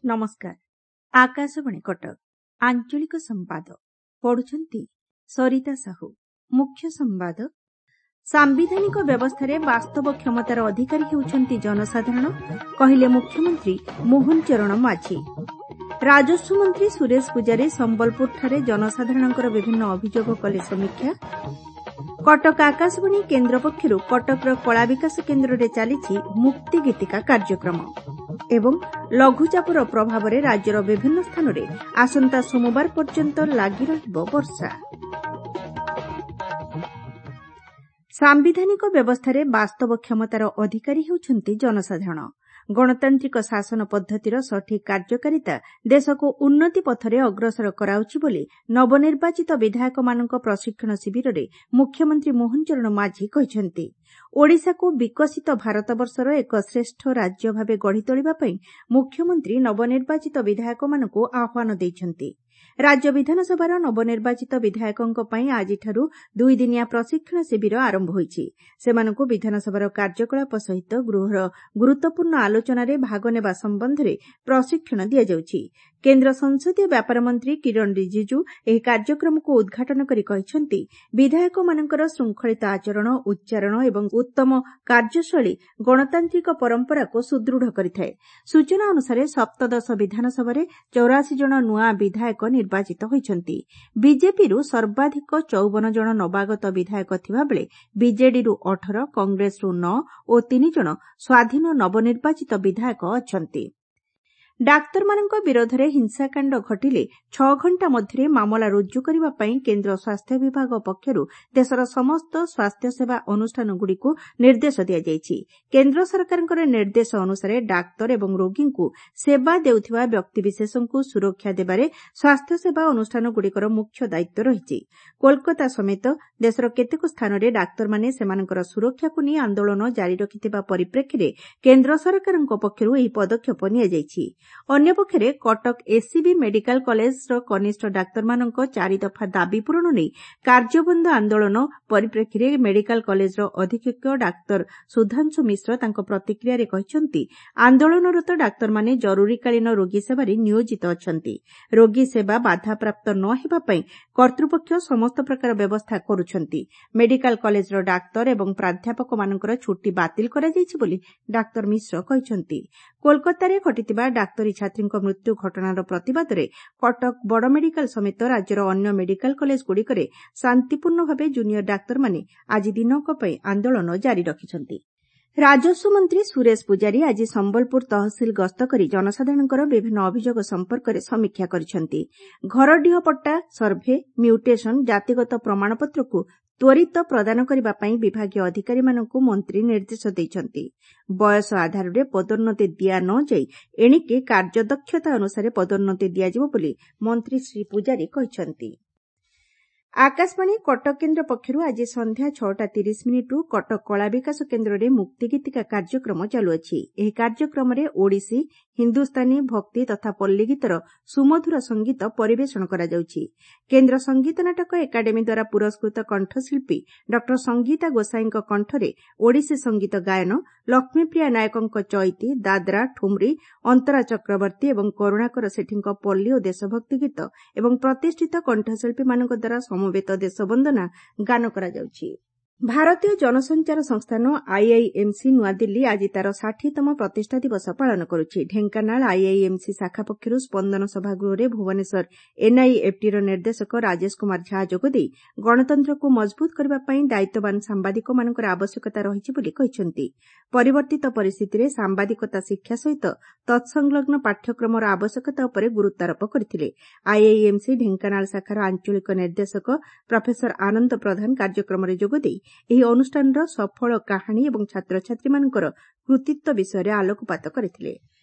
ନମସ୍କାର, ଆକାଶବାଣୀ କଟକ। ଆଞ୍ଚଳିକ ସମ୍ବାଦ ପଢୁଛନ୍ତି ସରିତା ସାହୁ। ମୁଖ୍ୟ ସମ୍ବାଦ। ସାମ୍ବିଧାନିକ ବ୍ୟବସ୍ଥାରେ ବାସ୍ତବ କ୍ଷମତାର ଅଧିକାରୀ ହେଉଛନ୍ତି ଜନସାଧାରଣ, କହିଲେ ମୁଖ୍ୟମନ୍ତ୍ରୀ ମୋହନ ଚରଣ ମାଝୀ। ରାଜସ୍ୱ ମନ୍ତ୍ରୀ ସୁରେଶ ପୂଜାରୀ ସମ୍ବଲପୁରଠାରେ ଜନସାଧାରଣଙ୍କର ବିଭିନ୍ନ ଅଭିଯୋଗ କଲେ ସମୀକ୍ଷା। କଟକ ଆକାଶବାଣୀ କେନ୍ଦ୍ର ପକ୍ଷରୁ କଟକର କଳା ବିକାଶ କେନ୍ଦ୍ରରେ ଚାଲିଛି ମୁକ୍ତି ଗୀତିକା କାର୍ଯ୍ୟକ୍ରମ ଏବଂ ଲଘୁଚାପର ପ୍ରଭାବରେ ରାଜ୍ୟର ବିଭିନ୍ନ ସ୍ଥାନରେ ଆସନ୍ତା ସୋମବାର ପର୍ଯ୍ୟନ୍ତ ଲାଗି ରହିବ ବର୍ଷା। ସାମ୍ବିଧାନିକ ବ୍ୟବସ୍ଥାରେ ବାସ୍ତବ କ୍ଷମତାର ଅଧିକାରୀ ହେଉଛନ୍ତି ଜନସାଧାରଣ। ଗଣତାନ୍ତ୍ରିକ ଶାସନ ପଦ୍ଧତିର ସଠିକ୍ କାର୍ଯ୍ୟକାରିତା ଦେଶକୁ ଉନ୍ନତି ପଥରେ ଅଗ୍ରସର କରାଉଛି ବୋଲି ନବନିର୍ବାଚିତ ବିଧାୟକମାନଙ୍କ ପ୍ରଶିକ୍ଷଣ ଶିବିରରେ ମୁଖ୍ୟମନ୍ତ୍ରୀ ମୋହନ ଚରଣ ମାଝୀ କହିଛନ୍ତି। ଓଡ଼ିଶାକୁ ବିକଶିତ ଭାରତବର୍ଷର ଏକ ଶ୍ରେଷ୍ଠ ରାଜ୍ୟ ଭାବେ ଗଢ଼ି ତୋଳିବା ପାଇଁ ମୁଖ୍ୟମନ୍ତ୍ରୀ ନବନିର୍ବାଚିତ ବିଧାୟକମାନଙ୍କୁ ଆହ୍ୱାନ ଦେଇଛନ୍ତି। ରାଜ୍ୟ ବିଧାନସଭାର ନବନିର୍ବାଚିତ ବିଧାୟକଙ୍କ ପାଇଁ ଆଜିଠାରୁ ଦୁଇଦିନିଆ ପ୍ରଶିକ୍ଷଣ ଶିବିର ଆରମ୍ଭ ହୋଇଛି। ସେମାନଙ୍କୁ ବିଧାନସଭାର କାର୍ଯ୍ୟକଳାପ ସହିତ ଗୃହର ଗୁରୁତ୍ୱପୂର୍ଣ୍ଣ ଆଲୋଚନାରେ ଭାଗ ନେବା ସମ୍ବନ୍ଧରେ ପ୍ରଶିକ୍ଷଣ ଦିଆଯାଉଛି। କେନ୍ଦ୍ର ସଂସଦୀୟ ବ୍ୟାପାର ମନ୍ତ୍ରୀ କିରଣ ରିଜିଜୁ ଏହି କାର୍ଯ୍ୟକ୍ରମକୁ ଉଦ୍ଘାଟନ କରି କହିଛନ୍ତି, ବିଧାୟକମାନଙ୍କର ଶୃଙ୍ଖଳିତ ଆଚରଣ, ଉଚ୍ଚାରଣ ଏବଂ ଉତ୍ତମ କାର୍ଯ୍ୟଶୈଳୀ ଗଣତାନ୍ତ୍ରିକ ପରମ୍ପରାକୁ ସୁଦୃଢ଼ କରିଥାଏ। ସୂଚନା ଅନୁସାରେ ସପ୍ତଦଶ ବିଧାନସଭାରେ 84 ଜଣ ନୂଆ ବିଧାୟକ ନିର୍ବାଚିତ ହୋଇଛନ୍ତି। ବିଜେପିରୁ ସର୍ବାଧିକ 54 ଜଣ ନବାଗତ ବିଧାୟକ ଥିବାବେଳେ ବିଜେଡିରୁ 18, କଂଗ୍ରେସରୁ 9 ଓ 3 ଜଣ ସ୍ୱାଧୀନ ନବନିର୍ବାଚିତ ବିଧାୟକ ଅଛନ୍ତି। ଡାକ୍ତରମାନଙ୍କ ବିରୋଧରେ ହିଂସାକାଣ୍ଡ ଘଟିଲେ 6 ଘଣ୍ଟା ମଧ୍ୟରେ ମାମଲା ରୁଜୁ କରିବା ପାଇଁ କେନ୍ଦ୍ର ସ୍ୱାସ୍ଥ୍ୟ ବିଭାଗ ପକ୍ଷରୁ ଦେଶର ସମସ୍ତ ସ୍ୱାସ୍ଥ୍ୟସେବା ଅନୁଷ୍ଠାନଗୁଡ଼ିକୁ ନିର୍ଦ୍ଦେଶ ଦିଆଯାଇଛି। କେନ୍ଦ୍ର ସରକାରଙ୍କର ନିର୍ଦ୍ଦେଶ ଅନୁସାରେ ଡାକ୍ତର ଏବଂ ରୋଗୀଙ୍କୁ ସେବା ଦେଉଥିବା ବ୍ୟକ୍ତିବିଶେଷଙ୍କୁ ସୁରକ୍ଷା ଦେବାରେ ସ୍ୱାସ୍ଥ୍ୟସେବା ଅନୁଷ୍ଠାନଗୁଡ଼ିକର ମୁଖ୍ୟ ଦାୟିତ୍ୱ ରହିଛି। କୋଲକାତା ସମେତ ଦେଶର କେତେକ ସ୍ଥାନରେ ଡାକ୍ତରମାନେ ସେମାନଙ୍କର ସୁରକ୍ଷାକୁ ନେଇ ଆନ୍ଦୋଳନ ଜାରି ରଖିଥିବା ପରିପ୍ରେକ୍ଷୀରେ କେନ୍ଦ୍ର ସରକାରଙ୍କ ପକ୍ଷରୁ ଏହି ପଦକ୍ଷେପ ନିଆଯାଇଛି। ଅନ୍ୟପକ୍ଷରେ କଟକ ଏସ୍ସିବି ମେଡିକାଲ କଲେଜର କନିଷ୍ଠ ଡାକ୍ତରମାନଙ୍କ ଚାରିଦଫା ଦାବି ପୂରଣ ନେଇ କାର୍ଯ୍ୟବନ୍ଦ ଆନ୍ଦୋଳନ ପରିପ୍ରେକ୍ଷୀରେ ମେଡିକାଲ କଲେଜର ଅଧୀକ୍ଷକ ଡାକ୍ତର ସୁଧାଂଶୁ ମିଶ୍ର ତାଙ୍କ ପ୍ରତିକ୍ରିୟାରେ କହିଛନ୍ତି, ଆନ୍ଦୋଳନରତ ଡାକ୍ତରମାନେ ଜରୁରୀକାଳୀନ ରୋଗୀ ସେବାରେ ନିୟୋଜିତ ଅଛନ୍ତି। ରୋଗୀ ସେବା ବାଧାପ୍ରାପ୍ତ ନ ହେବା ପାଇଁ କର୍ତ୍ତୃପକ୍ଷ ସମସ୍ତ ପ୍ରକାର ବ୍ୟବସ୍ଥା କରୁଛନ୍ତି। ମେଡିକାଲ କଲେଜର ଡାକ୍ତର ଏବଂ ପ୍ରାଧ୍ୟାପକମାନଙ୍କର ଛୁଟି ବାତିଲ କରାଯାଇଛି ବୋଲି ଡାକ୍ତର ମିଶ୍ର କହିଛନ୍ତି। କୋଲକାତାରେ ଘଟିଥିବା ଡାକ୍ତରୀ ଛାତ୍ରୀଙ୍କ ମୃତ୍ୟୁ ଘଟଣାର ପ୍ରତିବାଦରେ କଟକ ବଡ଼ ମେଡିକାଲ ସମେତ ରାଜ୍ୟର ଅନ୍ୟ ମେଡିକାଲ କଲେଜଗୁଡ଼ିକରେ ଶାନ୍ତିପୂର୍ଣ୍ଣ ଭାବେ ଜୁନିୟର ଡାକ୍ତରମାନେ ଆଜି ଦିନକ ପାଇଁ ଆନ୍ଦୋଳନ ଜାରି ରଖିଛନ୍ତି। ରାଜସ୍ୱ ମନ୍ତ୍ରୀ ସୁରେଶ ପୂଜାରୀ ଆଜି ସମ୍ବଲପୁର ତହସିଲ ଗସ୍ତ କରି ଜନସାଧାରଣଙ୍କର ବିଭିନ୍ନ ଅଭିଯୋଗ ସମ୍ପର୍କରେ ସମୀକ୍ଷା କରିଛନ୍ତି। ଘରଡିହ ପଟ୍ଟା, ସର୍ଭେ, ମ୍ୟୁଟେସନ, ଜାତିଗତ ପ୍ରମାଣପତ୍ରକୁ ତ୍ୱରିତ ପ୍ରଦାନ କରିବା ପାଇଁ ବିଭାଗୀୟ ଅଧିକାରୀମାନଙ୍କୁ ମନ୍ତ୍ରୀ ନିର୍ଦ୍ଦେଶ ଦେଇଛନ୍ତି। ବୟସ ଆଧାରରେ ପଦୋନ୍ନତି ଦିଆ ନ ଯାଇ ଏଣିକି କାର୍ଯ୍ୟଦକ୍ଷତା ଅନୁସାରେ ପଦୋନ୍ନତି ଦିଆଯିବ ବୋଲି ମନ୍ତ୍ରୀ ଶ୍ରୀ ପୂଜାରୀ କହିଛନ୍ତି। ଆକାଶବାଣୀ କଟକ କେନ୍ଦ୍ର ପକ୍ଷରୁ ଆଜି ସନ୍ଧ୍ୟା 6ଟା 30 ମିନିଟ୍ରୁ କଟକ କଳା ବିକାଶ କେନ୍ଦ୍ରରେ ମୁକ୍ତିଗୀତିକା କାର୍ଯ୍ୟକ୍ରମ ଚାଲୁଅଛି। ଏହି କାର୍ଯ୍ୟକ୍ରମରେ ଓଡ଼ିଶୀ, ହିନ୍ଦୁସ୍ତାନୀ, ଭକ୍ତି ତଥା ପଲ୍ଲୀଗୀତର ସୁମଧୁର ସଙ୍ଗୀତ ପରିବେଷଣ କରାଯାଉଛି। କେନ୍ଦ୍ର ସଙ୍ଗୀତ ନାଟକ ଏକାଡେମୀ ଦ୍ୱାରା ପୁରସ୍କୃତ କଣ୍ଠଶିଳ୍ପୀ ଡ ସଙ୍ଗୀତା ଗୋସାଇଁଙ୍କ କଣ୍ଠରେ ଓଡ଼ିଶୀ ସଙ୍ଗୀତ ଗାୟନ, ଲକ୍ଷ୍ମୀପ୍ରିୟା ନାୟକଙ୍କ ଚଇତି, ଦାଦ୍ରା, ଠୁମ୍ରି, ଅନ୍ତରା ଚକ୍ରବର୍ତ୍ତୀ ଏବଂ କରୁଣାକର ସେଠୀଙ୍କ ପଲ୍ଲୀ ଓ ଦେଶଭକ୍ତି ଗୀତ ଏବଂ ପ୍ରତିଷ୍ଠିତ କଣ୍ଠଶିଳ୍ପୀମାନଙ୍କ ଦ୍ୱାରା ସମବେତ ଦେଶବନ୍ଦନା ଗାନ କରାଯାଉଛି। ଭାରତୀୟ ଜନସଞ୍ଚାର ସଂସ୍ଥାନ ଆଇଆଇଏମ୍ସି ନୂଆଦିଲ୍ଲୀ ଆଜି ତା'ର 60ତମ ପ୍ରତିଷ୍ଠା ଦିବସ ପାଳନ କରୁଛି। ଢେଙ୍କାନାଳ ଆଇଆଇଏମ୍ସି ଶାଖା ପକ୍ଷରୁ ସ୍ପନ୍ଦନ ସଭାଗୃହରେ ଭୁବନେଶ୍ୱର ଏନ୍ଆଇଏଫ୍ଟିର ନିର୍ଦ୍ଦେଶକ ରାଜେଶ କୁମାର ଝା ଯୋଗଦେଇ ଗଣତନ୍ତ୍ରକୁ ମଜବୁତ କରିବା ପାଇଁ ଦାୟିତ୍ୱବାନ ସାମ୍ବାଦିକମାନଙ୍କର ଆବଶ୍ୟକତା ରହିଛି ବୋଲି କହିଛନ୍ତି। ପରିବର୍ତ୍ତିତ ପରିସ୍ଥିତିରେ ସାମ୍ବାଦିକତା ଶିକ୍ଷା ସହିତ ତତ୍ସଂଲଗ୍ନ ପାଠ୍ୟକ୍ରମର ଆବଶ୍ୟକତା ଉପରେ ଗୁରୁତ୍ୱାରୋପ କରିଥିଲେ। ଆଇଆଇଏମ୍ସି ଢେଙ୍କାନାଳ ଶାଖାର ଆଞ୍ଚଳିକ ନିର୍ଦ୍ଦେଶକ ପ୍ରଫେସର ଆନନ୍ଦ ପ୍ରଧାନ କାର୍ଯ୍ୟକ୍ରମରେ ଯୋଗଦେଇ ଏହି ଅନୁଷ୍ଠାନର ସଫଳ କାହାଣୀ ଏବଂ ଛାତ୍ରଛାତ୍ରୀମାନଙ୍କର କୃତିତ୍ୱ ବିଷୟରେ ଆଲୋକପାତ କରିଥିଲେ।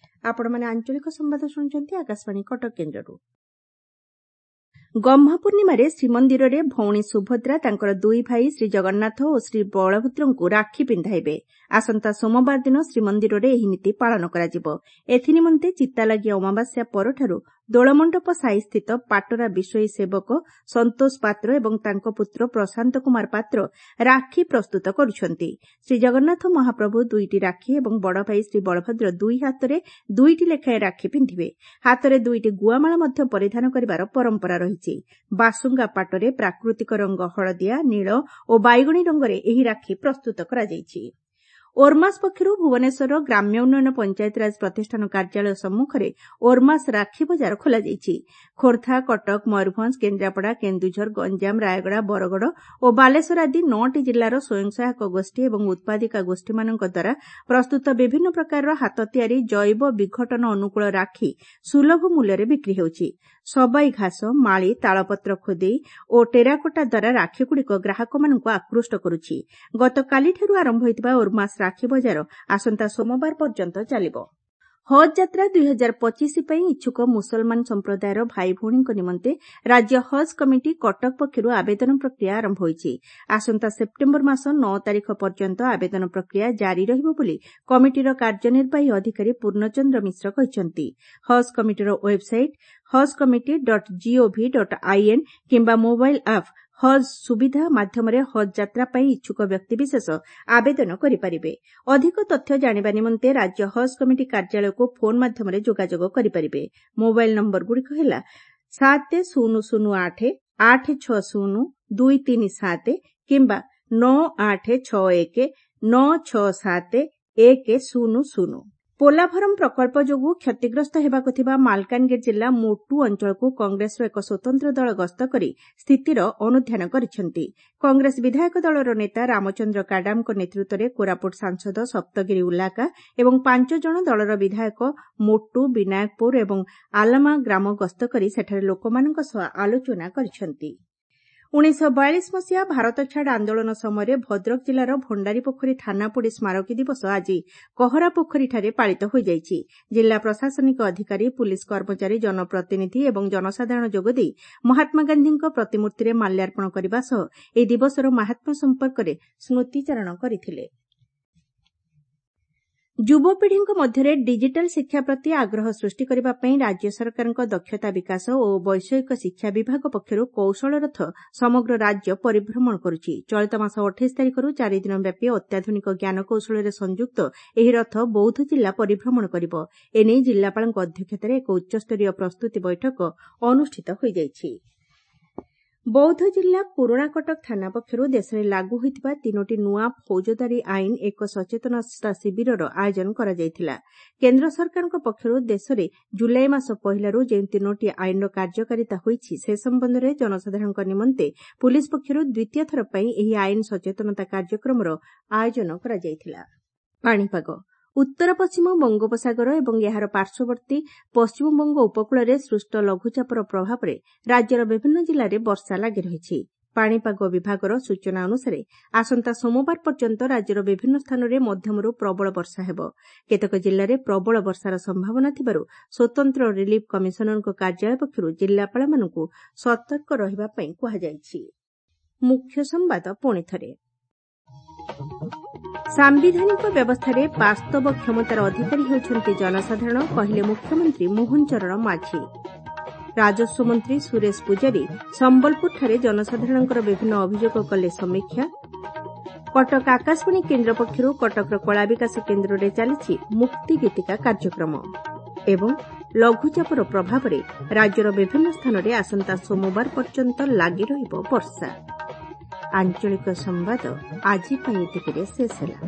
ଆପଣମାନେ ଆଞ୍ଚଳିକ ସମ୍ବାଦ ଶୁଣୁଛନ୍ତି ଆକାଶବାଣୀ କଟକ କେନ୍ଦ୍ରରୁ। ଗହ୍ମା ପୂର୍ଣ୍ଣିମାରେ ଶ୍ରୀମନ୍ଦିରରେ ଭଉଣୀ ସୁଭଦ୍ରା ତାଙ୍କର ଦୁଇ ଭାଇ ଶ୍ରୀଜଗନ୍ନାଥ ଓ ଶ୍ରୀବଳଭଦ୍ରଙ୍କୁ ରାକ୍ଷୀ ପିନ୍ଧାଇବେ। ଆସନ୍ତା ସୋମବାର ଦିନ ଶ୍ରୀମନ୍ଦିରରେ ଏହି ନୀତି ପାଳନ କରାଯିବ। ଏଥିନିମନ୍ତେ ଚିତାଲାଗି ଅମାବାସ୍ୟା ପରଠାରୁ ଦୋଳମଣ୍ଡପ ସାହିସ୍ଥିତ ପାଟରା ବିଷୋୟୀ ସେବକ ସନ୍ତୋଷ ପାତ୍ର ଏବଂ ତାଙ୍କ ପୁତ୍ର ପ୍ରଶାନ୍ତ କୁମାର ପାତ୍ର ରାକ୍ଷୀ ପ୍ରସ୍ତୁତ କରୁଛନ୍ତି। ଶ୍ରୀଜଗନ୍ନାଥ ମହାପ୍ରଭୁ ଦୁଇଟି ରାକ୍ଷୀ ଏବଂ ବଡ଼ଭାଇ ଶ୍ରୀବଳଭଦ୍ର ଦୁଇ ହାତରେ ଦୁଇଟି ଲେଖାଏଁ ରାକ୍ଷୀ ପିନ୍ଧିବେ। ହାତରେ ଦୁଇଟି ଗୁଆମାଳ ମଧ୍ୟ ପରିଧାନ କରିବାର ପରମ୍ପରା ରହିଛି। ବାସୁଙ୍ଗା ପାଟରେ ପ୍ରାକୃତିକ ରଙ୍ଗ ହଳଦିଆ, ନୀଳ ଓ ବାଇଗଣୀ ରଙ୍ଗରେ ଏହି ରାକ୍ଷୀ ପ୍ରସ୍ତୁତ କରାଯାଇଛି। ଓର୍ମାସ୍ ପକ୍ଷରୁ ଭୁବନେଶ୍ୱରର ଗ୍ରାମ୍ୟ ଉନ୍ନୟନ ପଞ୍ଚାୟତିରାଜ ପ୍ରତିଷ୍ଠାନ କାର୍ଯ୍ୟାଳୟ ସମ୍ମୁଖରେ ଓର୍ମାସ୍ ରାକ୍ଷୀ ବଜାର ଖୋଲାଯାଇଛି। ଖୋର୍ଦ୍ଧା, କଟକ, ମୟୂରଭଞ୍ଜ, କେନ୍ଦ୍ରାପଡ଼ା, କେନ୍ଦୁଝର, ଗଞ୍ଜାମ, ରାୟଗଡ଼ା, ବରଗଡ଼ ଓ ବାଲେଶ୍ୱର ଆଦି ନଅଟି ଜିଲ୍ଲାର ସ୍ୱୟଂ ସହାୟକ ଗୋଷ୍ଠୀ ଏବଂ ଉତ୍ପାଦିକା ଗୋଷ୍ଠୀମାନଙ୍କ ଦ୍ୱାରା ପ୍ରସ୍ତୁତ ବିଭିନ୍ନ ପ୍ରକାରର ହାତ ତିଆରି ଜୈବ ବିଘଟନ ଅନୁକୂଳ ରାକ୍ଷୀ ସୁଲଭ ମୂଲ୍ୟରେ ବିକ୍ରି ହେଉଛି। ସବାଇ ଘାସ, ମାଳି, ତାଳପତ୍ର ଖୋଦେଇ ଓ ଟେରାକୋଟା ଦ୍ୱାରା ରାକ୍ଷୀଗୁଡ଼ିକ ଗ୍ରାହକମାନଙ୍କୁ ଆକୃଷ୍ଟ କରୁଛି। ଗତକାଲିଠାରୁ ଆରମ୍ଭ ହୋଇଥିବା ଓର୍ମାସ୍ ରାକ୍ଷୀ ବଜାର ଆସନ୍ତା ସୋମବାର ପର୍ଯ୍ୟନ୍ତ ଚାଲିବ। ହଜ୍ ଯାତ୍ରା 2025 ପାଇଁ ଇଚ୍ଛୁକ ମୁସଲମାନ ସମ୍ପ୍ରଦାୟର ଭାଇଭଉଣୀଙ୍କ ନିମନ୍ତେ ରାଜ୍ୟ ହଜ୍ କମିଟି କଟକ ପକ୍ଷରୁ ଆବେଦନ ପ୍ରକ୍ରିୟା ଆରମ୍ଭ ହୋଇଛି। ଆସନ୍ତା ସେପ୍ଟେମ୍ବର ମାସ 9 ତାରିଖ ପର୍ଯ୍ୟନ୍ତ ଆବେଦନ ପ୍ରକ୍ରିୟା ଜାରି ରହିବ ବୋଲି କମିଟିର କାର୍ଯ୍ୟନିର୍ବାହୀ ଅଧିକାରୀ ପୂର୍ଣ୍ଣଚନ୍ଦ୍ର ମିଶ୍ର କହିଛନ୍ତି। ହଜ୍ କମିଟିର website hajj committee dot gov dot in କିମ୍ବା ମୋବାଇଲ୍ ଆପ୍ ହଜ୍ ସୁବିଧା ମାଧ୍ୟମରେ ହଜ୍ ଯାତ୍ରା ପାଇଁ ଇଚ୍ଛୁକ ବ୍ୟକ୍ତିବିଶେଷ ଆବେଦନ କରିପାରିବେ। ଅଧିକ ତଥ୍ୟ ଜାଣିବା ନିମନ୍ତେ ରାଜ୍ୟ ହଜ୍ କମିଟି କାର୍ଯ୍ୟାଳୟକୁ ଫୋନ୍ ମାଧ୍ୟମରେ ଯୋଗାଯୋଗ କରିପାରିବେ। ମୋବାଇଲ୍ ନମ୍ବରଗୁଡ଼ିକ ହେଲା 7008 860 237 କିମ୍ବା 9861 967 100। ପୋଲାଭରମ୍ ପ୍ରକଳ୍ପ ଯୋଗୁଁ କ୍ଷତିଗ୍ରସ୍ତ ହେବାକୁ ଥିବା ମାଲକାନଗିରି ଜିଲ୍ଲା ମୋଟୁ ଅଞ୍ଚଳକୁ କଂଗ୍ରେସର ଏକ ସ୍ୱତନ୍ତ୍ର ଦଳ ଗସ୍ତ କରି ସ୍ଥିତିର ଅନୁଧ୍ୟାନ କରିଛନ୍ତି। କଂଗ୍ରେସ ବିଧାୟକ ଦଳର ନେତା ରାମଚନ୍ଦ୍ର କାଡାମଙ୍କ ନେତୃତ୍ୱରେ କୋରାପୁଟ ସାଂସଦ ସପ୍ତଗିରି ଉଲାକା ଏବଂ ପାଞ୍ଚ ଜଣ ଦଳର ବିଧାୟକ ମୋଟୁ, ବିନାୟକପୁର ଏବଂ ଆଲାମା ଗ୍ରାମ ଗସ୍ତ କରି ସେଠାରେ ଲୋକମାନଙ୍କ ସହ ଆଲୋଚନା କରିଛନ୍ତି। 1942 ମସିହା ଭାରତଛାଡ଼ ଆନ୍ଦୋଳନ ସମୟରେ ଭଦ୍ରକ ଜିଲ୍ଲାର ଭଣ୍ଡାରୀପୋଖରୀ ଥାନାପୋଡ଼ି ସ୍ମାରକୀ ଦିବସ ଆଜି କହରାପୋଖରୀଠାରେ ପାଳିତ ହୋଇଯାଇଛି। ଜିଲ୍ଲା ପ୍ରଶାସନିକ ଅଧିକାରୀ, ପୁଲିସ୍ କର୍ମଚାରୀ, ଜନପ୍ରତିନିଧି ଏବଂ ଜନସାଧାରଣ ଯୋଗଦେଇ ମହାତ୍ମାଗାନ୍ଧୀଙ୍କ ପ୍ରତିମୂର୍ତ୍ତିରେ ମାଲ୍ୟାର୍ପଣ କରିବା ସହ ଏହି ଦିବସର ମାହାତ୍ମ୍ୟ ସମ୍ପର୍କରେ ସ୍ମୃତିଚାରଣ କରିଥିଲେ। ଯୁବପିଢ଼ିଙ୍କ ମଧ୍ୟରେ ଡିଜିଟାଲ୍ ଶିକ୍ଷା ପ୍ରତି ଆଗ୍ରହ ସୃଷ୍ଟି କରିବା ପାଇଁ ରାଜ୍ୟ ସରକାରଙ୍କ ଦକ୍ଷତା ବିକାଶ ଓ ବୈଷୟିକ ଶିକ୍ଷା ବିଭାଗ ପକ୍ଷରୁ କୌଶଳ ରଥ ସମଗ୍ର ରାଜ୍ୟ ପରିଭ୍ରମଣ କରୁଛି। ଚଳିତ ମାସ 28 ତାରିଖରୁ ଚାରିଦିନ ବ୍ୟାପୀ ଅତ୍ୟାଧୁନିକ ଜ୍ଞାନକୌଶଳରେ ସଂଯୁକ୍ତ ଏହି ରଥ ବୌଦ୍ଧ ଜିଲ୍ଲା ପରିଭ୍ରମଣ କରିବ। ଏନେଇ ଜିଲ୍ଲାପାଳଙ୍କ ଅଧ୍ୟକ୍ଷତାରେ ଏକ ଉଚ୍ଚସ୍ତରୀୟ ପ୍ରସ୍ତୁତି ବୈଠକ ଅନୁଷ୍ଠିତ ହୋଇଯାଇଛି। ବୌଦ୍ଧ ଜିଲ୍ଲା ପୁରୁଣାକଟକ ଥାନା ପକ୍ଷରୁ ଦେଶରେ ଲାଗୁ ହୋଇଥିବା ତିନୋଟି ନୂଆ ଫୌଜଦାରୀ ଆଇନ ଏକ ସଚେତନତା ଶିବିରର ଆୟୋଜନ କରାଯାଇଥିଲା। କେନ୍ଦ୍ର ସରକାରଙ୍କ ପକ୍ଷରୁ ଦେଶରେ ଜୁଲାଇ ମାସ ପହିଲାରୁ ଯେଉଁ ତିନୋଟି ଆଇନର କାର୍ଯ୍ୟକାରିତା ହୋଇଛି, ସେ ସମ୍ବନ୍ଧରେ ଜନସାଧାରଣଙ୍କ ନିମନ୍ତେ ପୁଲିସ୍ ପକ୍ଷରୁ ଦ୍ୱିତୀୟ ଥର ପାଇଁ ଏହି ଆଇନ ସଚେତନତା କାର୍ଯ୍ୟକ୍ରମର ଆୟୋଜନ କରାଯାଇଥିଲା। ପାଣିପାଗ। ଉତ୍ତର ପଶ୍ଚିମ ବଙ୍ଗୋପସାଗର ଏବଂ ଏହାର ପାର୍ଶ୍ୱବର୍ତ୍ତୀ ପଶ୍ଚିମବଙ୍ଗ ଉପକୂଳରେ ସୃଷ୍ଟ ଲଘୁଚାପର ପ୍ରଭାବରେ ରାଜ୍ୟର ବିଭିନ୍ନ ଜିଲ୍ଲାରେ ବର୍ଷା ଲାଗି ରହିଛି। ପାଣିପାଗ ବିଭାଗର ସୂଚନା ଅନୁସାରେ ଆସନ୍ତା ସୋମବାର ପର୍ଯ୍ୟନ୍ତ ରାଜ୍ୟର ବିଭିନ୍ନ ସ୍ଥାନରେ ମଧ୍ୟମରୁ ପ୍ରବଳ ବର୍ଷା ହେବ। କେତେକ ଜିଲ୍ଲାରେ ପ୍ରବଳ ବର୍ଷାର ସମ୍ଭାବନା ଥିବାରୁ ସ୍ୱତନ୍ତ୍ର ରିଲିଫ୍ କମିଶନରଙ୍କ କାର୍ଯ୍ୟାଳୟ ପକ୍ଷରୁ ଜିଲ୍ଲାପାଳମାନଙ୍କୁ ସତର୍କ ରହିବା ପାଇଁ କୁହାଯାଇଛି। ମୁଖ୍ୟ ସମ୍ବାଦ ପୁଣିଥରେ। ସାମ୍ବିଧାନିକ ବ୍ୟବସ୍ଥାରେ ବାସ୍ତବ କ୍ଷମତାର ଅଧିକାରୀ ହେଉଛନ୍ତି ଜନସାଧାରଣ, କହିଲେ ମୁଖ୍ୟମନ୍ତ୍ରୀ ମୋହନ ଚରଣ ମାଝୀ। ରାଜସ୍ୱ ମନ୍ତ୍ରୀ ସୁରେଶ ପୂଜାରୀ ସମ୍ବଲପୁରଠାରେ ଜନସାଧାରଣଙ୍କର ବିଭିନ୍ନ ଅଭିଯୋଗ କଲେ ସମୀକ୍ଷା। କଟକ ଆକାଶବାଣୀ କେନ୍ଦ୍ର ପକ୍ଷରୁ କଟକର କଳା ବିକାଶ କେନ୍ଦ୍ରରେ ଚାଲିଛି ମୁକ୍ତି ଗୀତିକା କାର୍ଯ୍ୟକ୍ରମ। ଏବଂ ଲଘୁଚାପର ପ୍ରଭାବରେ ରାଜ୍ୟର ବିଭିନ୍ନ ସ୍ଥାନରେ ଆସନ୍ତା ସୋମବାର ପର୍ଯ୍ୟନ୍ତ ଲାଗି ରହିବ ବର୍ଷା। ଆଞ୍ଚଳିକ ସମ୍ବାଦ ଆଜି ପାଇଁ ଏତିକିରେ ଶେଷ ହେଲା।